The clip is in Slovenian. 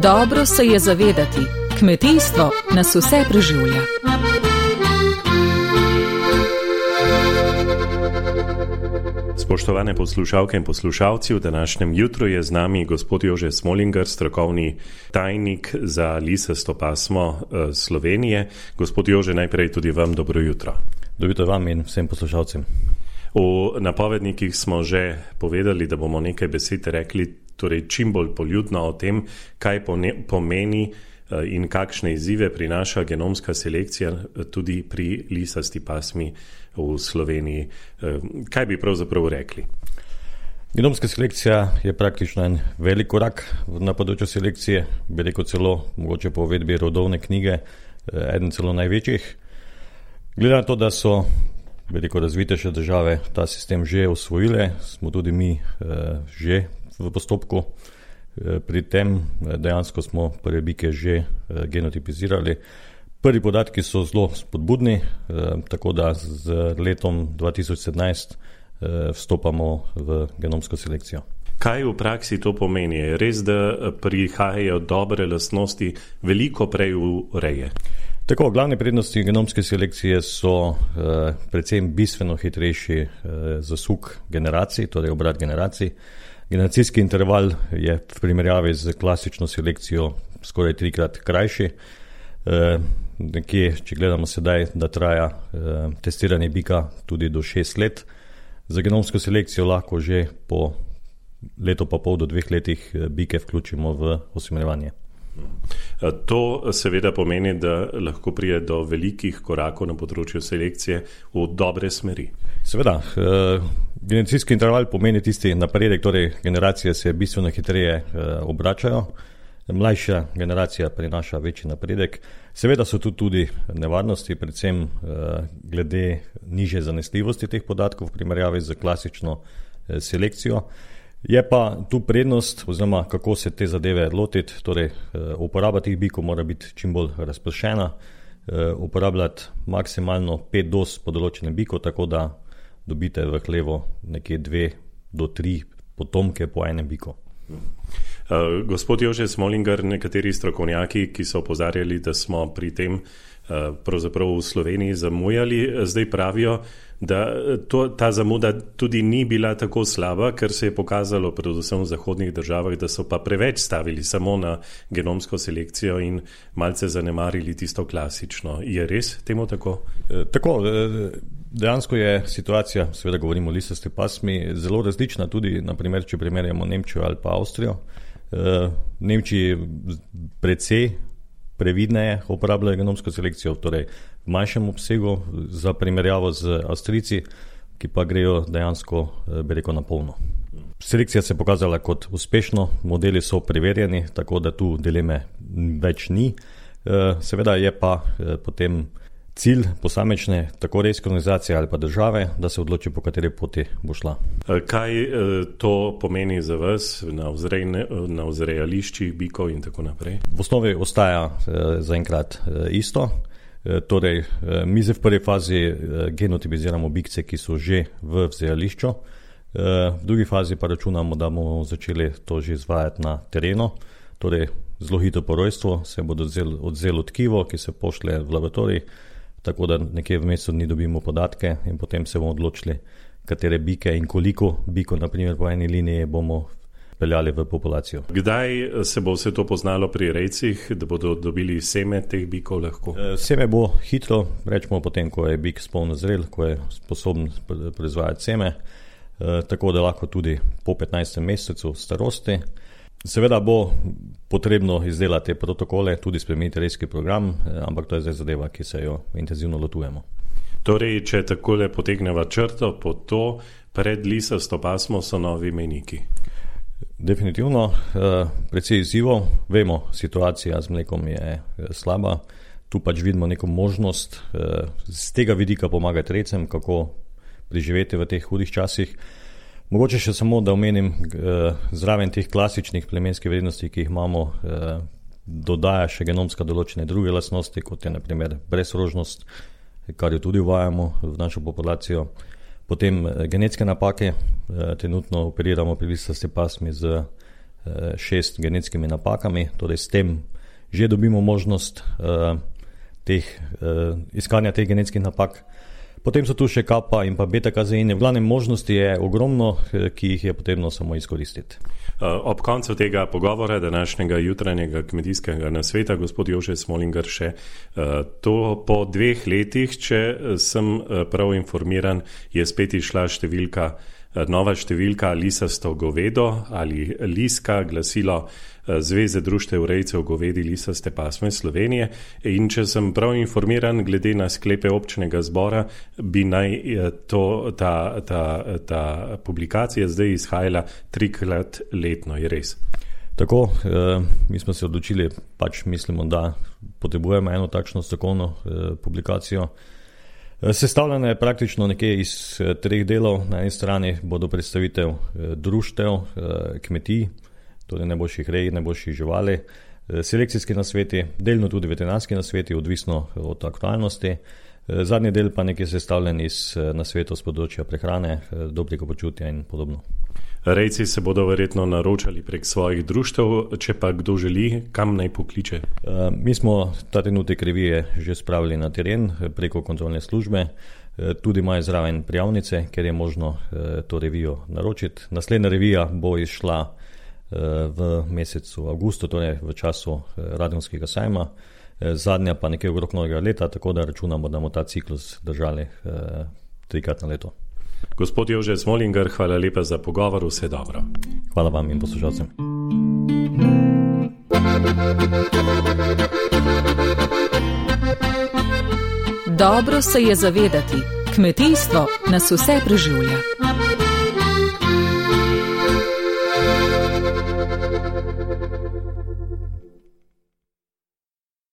Dobro se je zavedati, kmetijstvo nas vse preživlja. Spoštovane poslušalke in poslušalci, v današnjem jutru je z nami gospod Jože Smolinger, strokovni tajnik za lisasto pasmo Slovenije. Gospod Jože, najprej tudi vam dobro jutro. Dobro jutro vam in vsem poslušalcem. V napovednikih smo že povedali, da bomo nekaj besed rekli, torej čim bolj poljudno o tem, kaj pomeni in kakšne izzive prinaša genomska selekcija tudi pri lisasti pasmi v Sloveniji. Kaj bi pravzaprav rekli? Genomska selekcija je praktično en velik korak na področju selekcije, bi rekel celo, mogoče po uvedbi rodovne knjige, eden celo največjih. Glede na to, da so razvitejše države ta sistem že usvojile, smo tudi mi že v postopku. Pri tem dejansko smo prve bike že genotipizirali. Prvi podatki so zelo spodbudni, tako da z letom 2017 vstopamo v genomsko selekcijo. Kaj v praksi to pomeni? Je res, da prihajajo dobre lastnosti veliko prej v reje? Tako, glavne prednosti genomske selekcije so predvsem bistveno hitrejši zasuk generacij, torej obrat generacij. Generacijski interval je v primerjavi z klasično selekcijo skoraj 3-krat krajši. Nekje, če gledamo sedaj, da traja testiranje bika tudi do 6 let. Za genomsko selekcijo lahko že po leto pa pol do 2 letih bike vključimo v usmerjevanje. To seveda pomeni, da lahko pride do velikih korakov na področju selekcije v dobre smeri. Seveda, generacijski interval pomeni tisti napredek, torej generacije se bistveno hitreje obračajo, mlajša generacija prinaša večji napredek. Seveda so tu tudi nevarnosti, predvsem glede nižje zanesljivosti teh podatkov v primerjavi z klasično selekcijo. Je pa tu prednost, oziroma kako se te zadeve lotiti, torej uporaba teh bikov mora biti čim bolj razpršena, uporabljati maksimalno 5 doz po določenem biku, tako da dobite v hlevo nekje 2 do 3 potomke po enem biku. Gospod Jože Smolinger, nekateri strokovnjaki, ki so opozarjali, da smo pri tem pravzaprav v Sloveniji zamujali, zdaj pravijo, da ta zamuda tudi ni bila tako slaba, ker se je pokazalo predvsem v zahodnih državah, da so pa preveč stavili samo na genomsko selekcijo in malce zanemarili tisto klasično. Je res temu tako? Tako, dejansko je situacija, seveda govorimo o lisasti pasmi, zelo različna tudi, naprimer, če primerjamo Nemčijo ali pa Avstrijo. V Nemčiji precej previdneje uporabljajo genomsko selekcijo, torej v manjšem obsegu za primerjavo z Avstrijci, ki pa grejo dejansko, bi rekel, na polno. Selekcija se je pokazala kot uspešno, modeli so preverjeni, tako da tu dileme več ni. Seveda je pa potem cilj posamečne tako rejske organizacije ali pa države, da se odloči, po kateri poti bo šla. Kaj to pomeni za vas na vzrejališčih bikov in tako naprej? V osnovi ostaja zaenkrat isto. Torej, mi zdaj v prvi fazi genotipiziramo bikce, ki so že v vzrejališču. V drugi fazi pa računamo, da bomo začeli to že izvajati na terenu. Torej, zelo hitro po rojstvu se bodo odzelo tkivo, ki se pošlje v laboratorij, tako da nekje v mesecu dni dobimo podatke in potem se bomo odločili, katere bike in koliko bikov, naprimer po eni liniji, bomo peljali v populacijo. Kdaj se bo vse to poznalo pri rejcih, da bodo dobili seme teh bikov lahko? Seme bo hitro, rečemo potem, ko je bik spolno zrel, ko je sposoben proizvajati seme, tako da lahko tudi po 15. mesecu starosti. Seveda bo potrebno izdelati protokole, tudi spremeniti rejski program, ampak to je zdaj zadeva, ki se jo intenzivno lotujemo. Torej, če takole potegneva črto po to, pred lisasto pasmo so novi mejniki. Definitivno, precej izzivov. Vemo, situacija z mlekom je slaba. Tu pač vidimo neko možnost z tega vidika pomagati rejcem, kako preživeti v teh hudih časih. Mogoče še samo, da omenim, zraven teh klasičnih plemenskih vrednosti, ki jih imamo, dodaja še genomska določene druge lastnosti, kot je na primer brezrožnost, kar jo tudi uvajamo v našo populacijo. Potem genetske napake, trenutno operiramo pri lisasti pasmi z 6 genetskimi napakami, torej s tem že dobimo možnost iskanja teh genetskih napak. Potem so tu še kappa in pa beta-kazeini. V glavnem možnosti je ogromno, ki jih je potrebno samo izkoristiti. Ob koncu tega pogovora, današnjega jutranjega kmetijskega nasveta, gospod Jože Smolinger, še to po 2 letih, če sem prav informiran, je spet išla nova številka lisasto govedo ali liska, glasilo Zveze društev rejcev govedi lisaste pasme Slovenije. In če sem prav informiran, glede na sklepe občnega zbora, bi naj ta publikacija zdaj izhajala 3-krat letno, je res? Tako, mi smo se odločili, mislimo, da potrebujemo eno takšno strokovno publikacijo. Sestavljena je praktično nekje iz 3 delov. Na eni strani bodo predstavitev društev, kmetij, torej najboljših rej, najboljših živali, selekcijski nasveti, delno tudi veterinarski nasveti, odvisno od aktualnosti. Zadnji del pa nekaj sestavljen iz nasvetov z področja prehrane, dobrega počutja in podobno. Rejci se bodo verjetno naročali prek svojih društev, če pa kdo želi, kam naj pokliče? Mi smo ta trenutek revije že spravili na teren preko kontrolne službe, tudi imajo zraven prijavnice, ker je možno to revijo naročiti. Naslednja revija bo izšla v mesecu avgustu, torej v času Radgonskega sajma, zadnja pa nekaj okrog novega leta, tako da računamo, da bomo ta ciklus držali 3-krat na leto. Gospod Jože Smolinger, hvala lepa za pogovor, vse dobro. Hvala vam in poslušalcem. Dobro se je zavedati, kmetijstvo nas vse preživlja.